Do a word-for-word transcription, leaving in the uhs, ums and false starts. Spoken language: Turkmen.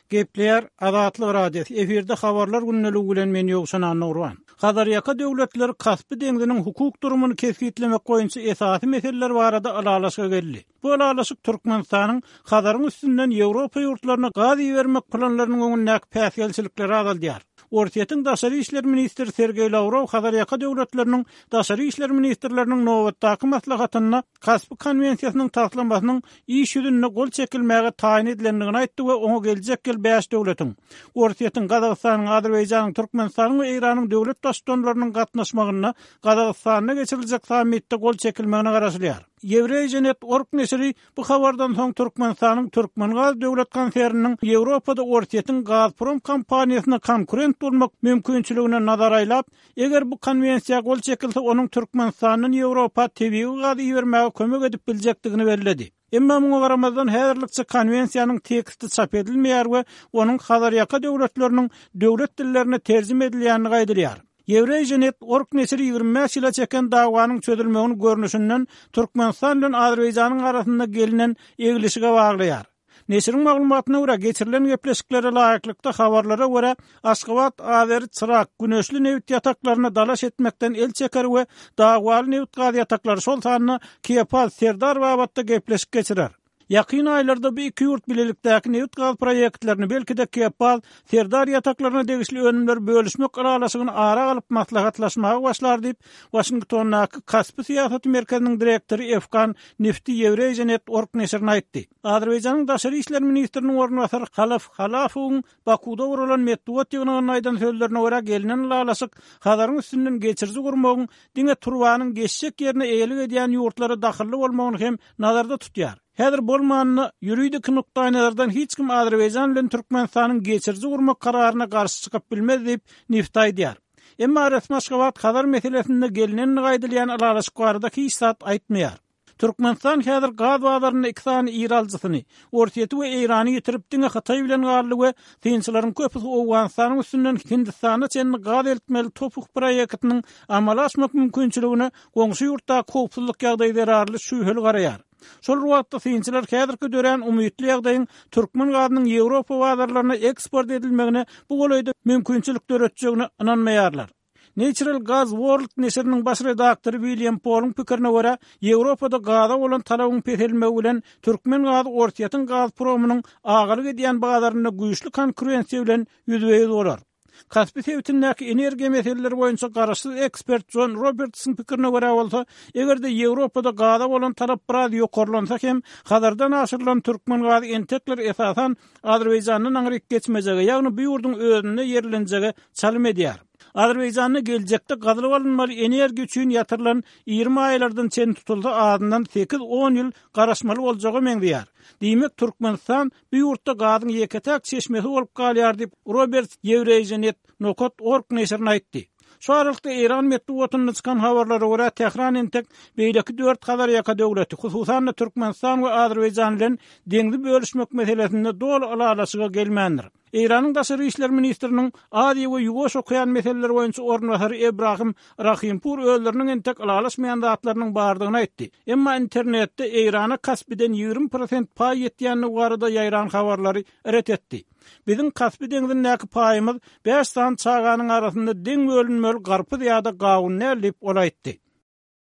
Gepleýär Azatlyk Radiosy, efirde habarlar gündeligi bilen men Ýowşan Annagurban. Hazarýaka döwletleri Kaspi deňziniň hukuk durumyny kesgitlemek boýunça esasy meseleler barada ylalaşyga geldi. Bu ylalaşyk Türkmenistanyň Hazaryň üstünden Ýewropa ýurtlaryna gaz ibermek planlarynyň öňündäki päsgelçilikleri azaldýar. Orsýetiň daşary işler ministri Sergeý Lawrow Hazarýaka döwletleriniň daşary işler ministrleriniň nobatdaky maslahatynda Kaspi konwensiýasynyň taslamasynyň iş ýüzünde gol çekilmäge taýyn edilendigini aýtdy we oňa geljek ýyl bäş döwletiň, Orsýetiň, Gazagystanyň, Azerbaýjanyň, Türkmenistanyň we Eýranyň döwlet baştutanlarynyň gatnaşmagynda Gazagystanda geçiriljek sammitde gol çekilmegine garaşylýar. Eurasianet org neşiri bu habardan soň Türkmenistanyň Türkmengaz döwlet konserniniň Ýewropada Orsýetiň Gazprom kompaniýasyna konkurent bolmak mümkinçiligine nazar aýlap, eger bu konwensiýa gol çekilse, onuň Türkmenistandan Ýewropa tebigy gaz ibermäge kömek edip biljekdigini belledi. Emma muňa garamazdan häzirlikçe konwensiýanyň teksti çap edilmeýär we onuň Hazarýaka döwletleriniň döwlet dillerine terjime edilýändigi aýdylýar. Eurasianet org neşiri ýigrimi bäş ýyla çeken dawanyň çözülmegini görnüşinden Türkmenistan bilen Azerbaýjanyň arasynda gelnen eglişige baglaýar. Neşiriň maglumatyna görä, geçirilen gepleşiklere laýyklykda habarlara görä, Aşgabat Azeri Çyrak güneşli nebit ýataklaryna dalaş etmekden el çeker we dawaly nebit-gaz ýataklary, şol sanda Kepaz, Serdar babatda gepleşik geçirer. Ýakyn aýlarda bu iki ýurt bilelikdäki nebit-gaz proýektlerini, belki-de Kepaz, Serdar ýataklaryna degişli önümleri bölüşmek ylalaşygyny ara alyp maslahatlaşmaga başlar diýip, Waşingtondaky Kaspi syýasaty merkeziniň direktory Efkan Nifti Eurasianet org neşirine aýtdy. Azerbaýjanyň daşary işler ministriniň orunbasary Halaf Halafowyň Bakuwda guralan metbugat ýygnagynda aýdan sözlerine görä, gelnen ylalaşyk Hazaryň üstünden geçiriji gurmagyň diňe turbanyň geçjek ýerine eýelik edýän ýurtlara dahylly bolmagyny hem nazarda tutýar. Häzir bolmanda, ýuridiki nukdaýnazardan hiç kim Azerbaýjan bilen Türkmenistanyň geçiriji gurmak kararyna garşy çykyp bilmez diýip, Nifti aýdýar. Emma resmi Aşgabat Hazar meselesinde gelnendigi aýdylýan ylalaşyk barada hiç zat aýtmaýar. Türkmenistan häzir gaz bazarynda iki sany iri alyjysyny, Orsýeti we Eýrany ýitirip, diňe Hytaý bilen galdy we synçylaryň köpüsi Owganystanyň üstünden Hindistana çenli gaz eltmeli TOPH proýektiniň amala aşmak mümkinçiligine goňşy ýurtdaky howpsuzlyk ýagdaýy zerarly şübheli garaýar. Şol bir wagtda synçylar häzirki dörän umytly ýagdaýyň türkmen gazynyň Ýewropa bazarlaryna eksport edilmegine bu golaýda mümkinçilik döretjegine ynanmaýarlar. Natural Gas World neşiriniň baş redaktory William Poluň pikirine görä, Ýewropada gaza bolan talabyň peselmegi bilen türkmen gazy Orsýetiň Gazpromynyň agalyk edýän bazarynda güýçli konkurensiýa bilen ýüzbe-ýüz bolar. Kaspi sebitindäki energiýa meseleleri boýunça garaşsyz ekspert Jon Robertsyň pikirine görä bolsa, eger-de Ýewropada gaza bolan talap biraz ýokarlansa hem, Hazardan aşyrylan türkmen gazy entekler esasan Azerbaýjandan aňryk geçmejege, ýagny bu ýurduň özünde ýerlenjege çalym edýär. Azerbaýjanda geljekde gazylyp alynmaly energiýa üçin ýatyrylan iri maýalardan çen tutulsa azyndan sekiz-on ýyl garaşmaly boljaga meňzeýär. Diýmek, Türkmenistan bu ýurtda gazyň ýeke-täk çeşmesi bolup galýar diýip, Roberts Eurasianet nokat org neşirine aýtdy. Şu aralykda Eýran metbugatynda çykan habarlara görä, Tähran entek beýleki dört Hazarýaka döwleti, hususan-da Türkmenistan we Azerbaýjan bilen deňzi bölüşmek meselesinde doly ylalaşyga gelmändir. Eýranyň daşary işler ministriniň Aziýa we Ýuwaş okean meseleleri boýunça orunbasary Ebrahim Rahimpur özleriniň entek ylalaşmaýan zatlarynyň bardygyny aýtdy. Emma internetde Eýrana Kaspiden ýigrimi prosent paý ýetýändigi barada ýaýran habarlary ret etdi. Biziň Kaspi deňzindäki paýymyz bäş sany çaganyň arasynda deň bölünmeli garpyz ýa-da gawun däl diýip, ol aýtdy.